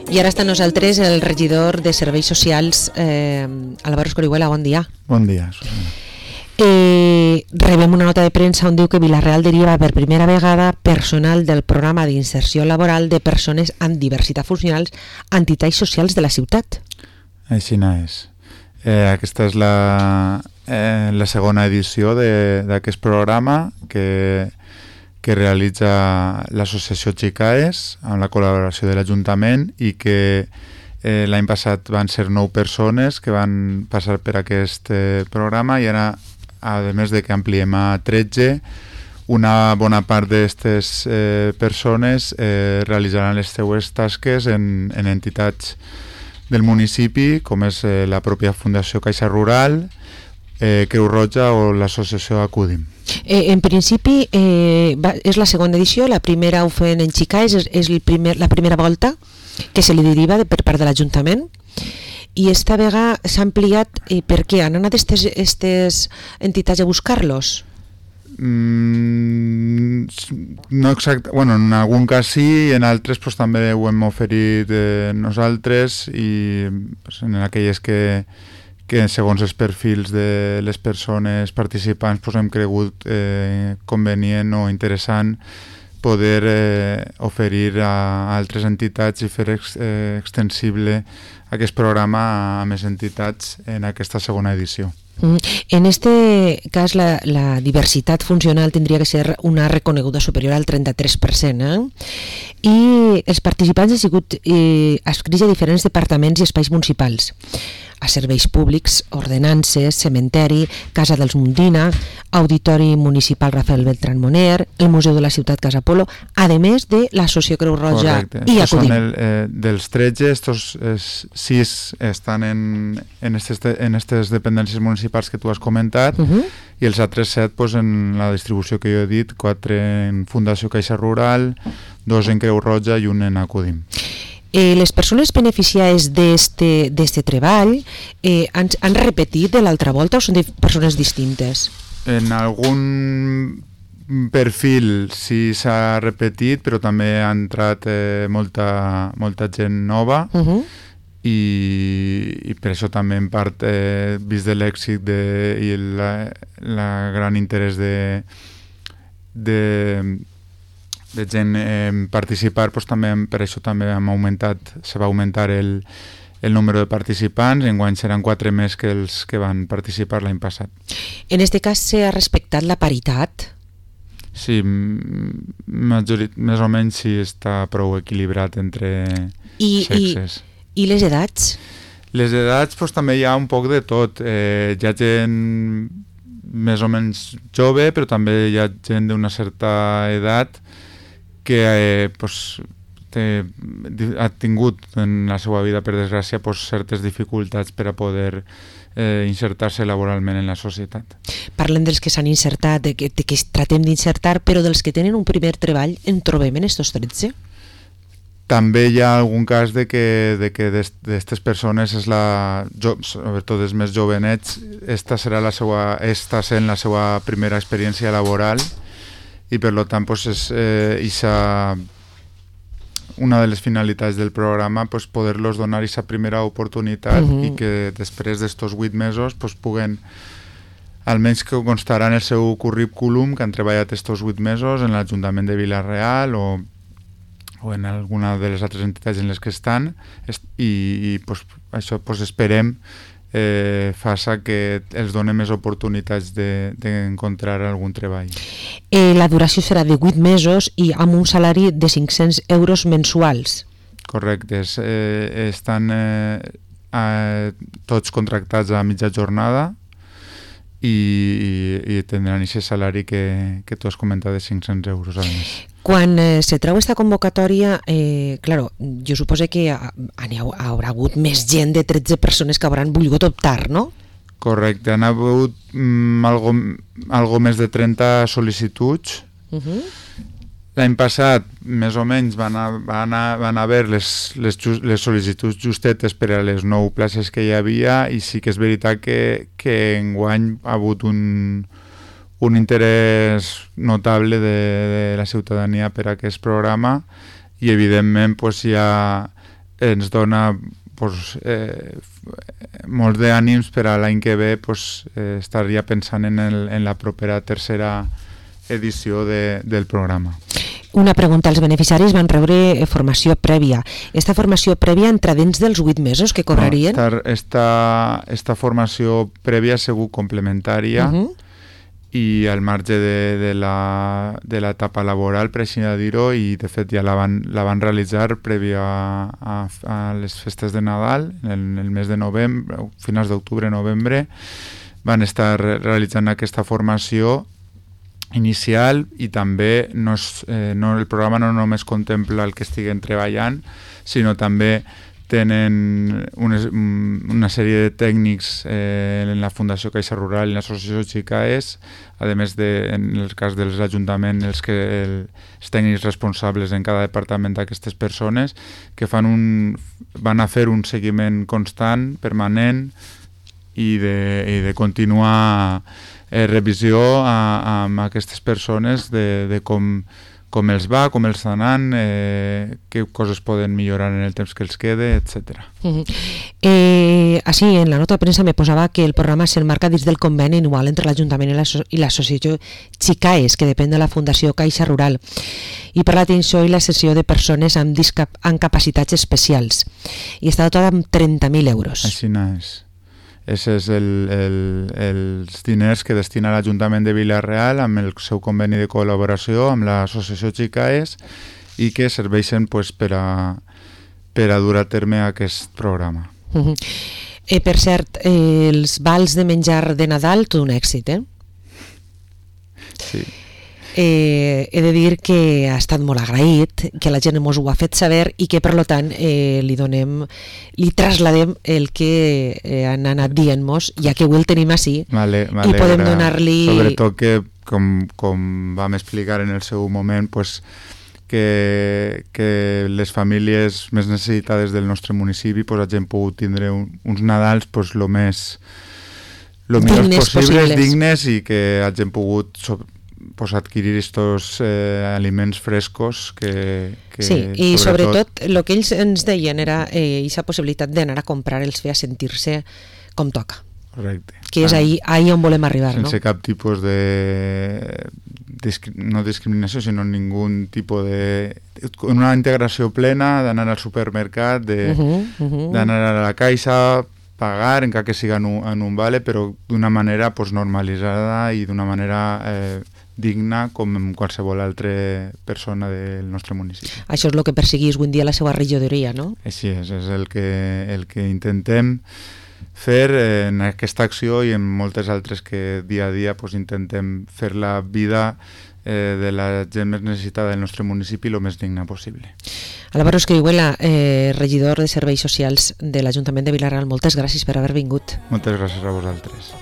I ara està amb nosaltres el regidor de Serveis Socials, Álvaro Escorihuela. Bon dia. Bon dia. Rebem una nota de premsa on diu que Vila-real deriva per primera vegada personal del programa d'inserció laboral de persones amb diversitat funcionals a entitats socials de la ciutat. Així és. Aquesta és la segona edició d'aquest programa que realitza l'associació Xicaes amb la col·laboració de l'Ajuntament i que l'any passat van ser 9 persones que van passar per aquest programa i ara, a més de que ampliem a 13, una bona part d'aquestes persones realitzaran les seues tasques en entitats del municipi, com és la pròpia Fundació Caixa Rural, Creu Roja o l'associació Acudim. En principi és la segona edició, la primera ho feien en Xicaes, és la primera volta que se li deriva per part de l'Ajuntament i esta vegada s'ha ampliat. Per què? Han anat aquestes entitats a buscar-los? No exacte, bueno, en algun cas sí, en altres pues, també ho hem oferit nosaltres i pues, en aquelles que segons els perfils de les persones participants pues, hem cregut convenient o interessant poder oferir a altres entitats i fer extensible aquest programa a més entitats en aquesta segona edició. En este cas la diversitat funcional tindria que ser una reconeguda superior al 33%, i els participants han sigut adscrits a diferents departaments i espais municipals, a serveis públics, ordenances, cementeri, Casa dels Mundina, Auditori Municipal Rafael Beltrán Moner, el Museu de la Ciutat Casa Polo, a més de l'Associació Creu Roja. Correcte. I Acudim. Dels 13, estos 6 estan en aquestes dependències municipals que tu has comentat, i els altres 7 pues, en la distribució que jo he dit, 4 en Fundació Caixa Rural, 2 en Creu Roja i 1 en Acudim. Les persones beneficiades d'este treball han repetit de l'altra volta o són persones distintes? En algun perfil sí s'ha repetit, però també ha entrat molta gent nova i per això també en part vist de l'èxit i la gran interès de gent participar, doncs també per això també se va augmentar el número de participants. Enguany seran 4 més que els que van participar l'any passat. En aquest cas s'ha respectat la paritat? Sí, més o menys sí està prou equilibrat entre sexes. I les edats? Les edats doncs, també hi ha un poc de tot. Hi ha gent més o menys jove, però també hi ha gent d'una certa edat que ha tingut en la seva vida, per desgràcia, certes dificultats per a poder insertar-se laboralment en la societat. Parlem dels que s'han insertat, de que tratem d'insertar, però dels que tenen un primer treball, en trobem en estos 13? També hi ha algun cas de que d'aquestes persones, sobretot els més jovenets, esta sent la seva primera experiència laboral, i per tant és una de les finalitats del programa poder-los donar aquesta primera oportunitat i que després d'estos 8 mesos puguen, almenys que constarà en el seu currículum que han treballat estos 8 mesos en l'Ajuntament de Vila-real o en alguna de les altres entitats en les que estan, i això esperem faça que els doni més oportunitats d'encontrar algun treball. La duració serà de 8 mesos i amb un salari de 500 euros mensuals. Correcte. Estan tots contractats a mitja jornada i tindran aquest salari que tu has comentat de 500 euros al mes. Quan se treu aquesta convocatòria, jo suposo que haurà hagut més gent de 13 persones que hauran volgut optar, no? Correcte, han hagut algo més de 30 sol·licituds. L'any passat, més o menys, van haver les sol·licituds justetes per a les 9 places que hi havia, i sí que és veritat que enguany ha hagut un interès notable de la ciutadania per a aquest programa, i evidentment pues, ja ens dona pues, molts d'ànims per a l'any que ve pues, estar ja pensant en la propera tercera edició del programa. Una pregunta, els beneficiaris van rebre formació prèvia. Esta formació prèvia entra dins dels 8 mesos que cobrarien? No, esta formació prèvia ha sigut complementària i al marge de l'etapa laboral, per així dir-ho, i de fet ja la van realitzar prèvia a les festes de Nadal, en el mes de novembre, finals d'octubre-novembre, van estar realitzant aquesta formació inicial i també el programa no només contempla el que estiguen treballant, sinó també tenen una sèrie de tècnics en la Fundació Caixa Rural i l'Associació Xicaes, a més en el cas dels ajuntaments, els tècnics responsables en cada departament d'aquestes persones, que van a fer un seguiment constant, permanent, i de continuar revisió amb aquestes persones de com els va, com els està anant, què coses poden millorar en el temps que els quede, etc. Així, en la nota de premsa me posava que el programa s'emmarca dins del conveni anual entre l'Ajuntament i l'Associació Xicaes, que depèn de la Fundació Caixa Rural, i per l'atenció i la sessió de persones amb capacitats especials. I està dotada amb 30.000 euros. Així és. Aquests són els diners que destina l'Ajuntament de Vila-real amb el seu conveni de col·laboració amb l'Associació Xicaes i que serveixen pues, per a dur a terme aquest programa. Per cert, els vals de menjar de Nadal, tot un èxit, Sí. He de dir que ha estat molt agraït, que la gent ens ho ha fet saber i que per tant li trasladem el que han anat dient-nos, ja que avui el tenim així i podem donar-li... Sobretot que, com vam explicar en el seu moment, pues, que les famílies més necessitades del nostre municipi pues, hagin pogut tindre uns Nadals pues, lo millors possibles, dignes, i que hagin pogut pues, adquirir estos aliments frescos que sí, i sobretot el que ells ens deien era aquesta possibilitat d'anar a comprar els feia sentir-se com toca. Correcte. Que és ahí on volem arribar, sense cap tipus de no discriminació, sinó ningun tipus de... una integració plena d'anar al supermercat, d'anar a la caixa, pagar, encara que siga en un vale, però d'una manera pues, normalitzada i d'una manera digna com qualsevol altra persona del nostre municipi. Això és el que perseguís avui dia la seva regidoria, no? Així és el que intentem fer en aquesta acció i en moltes altres que dia a dia pues, intentem fer la vida de la gent més necessitada del nostre municipi el més digna possible. Álvaro Escrihuela, regidor de Serveis Socials de l'Ajuntament de Vila-real, moltes gràcies per haver vingut. Moltes gràcies a vosaltres.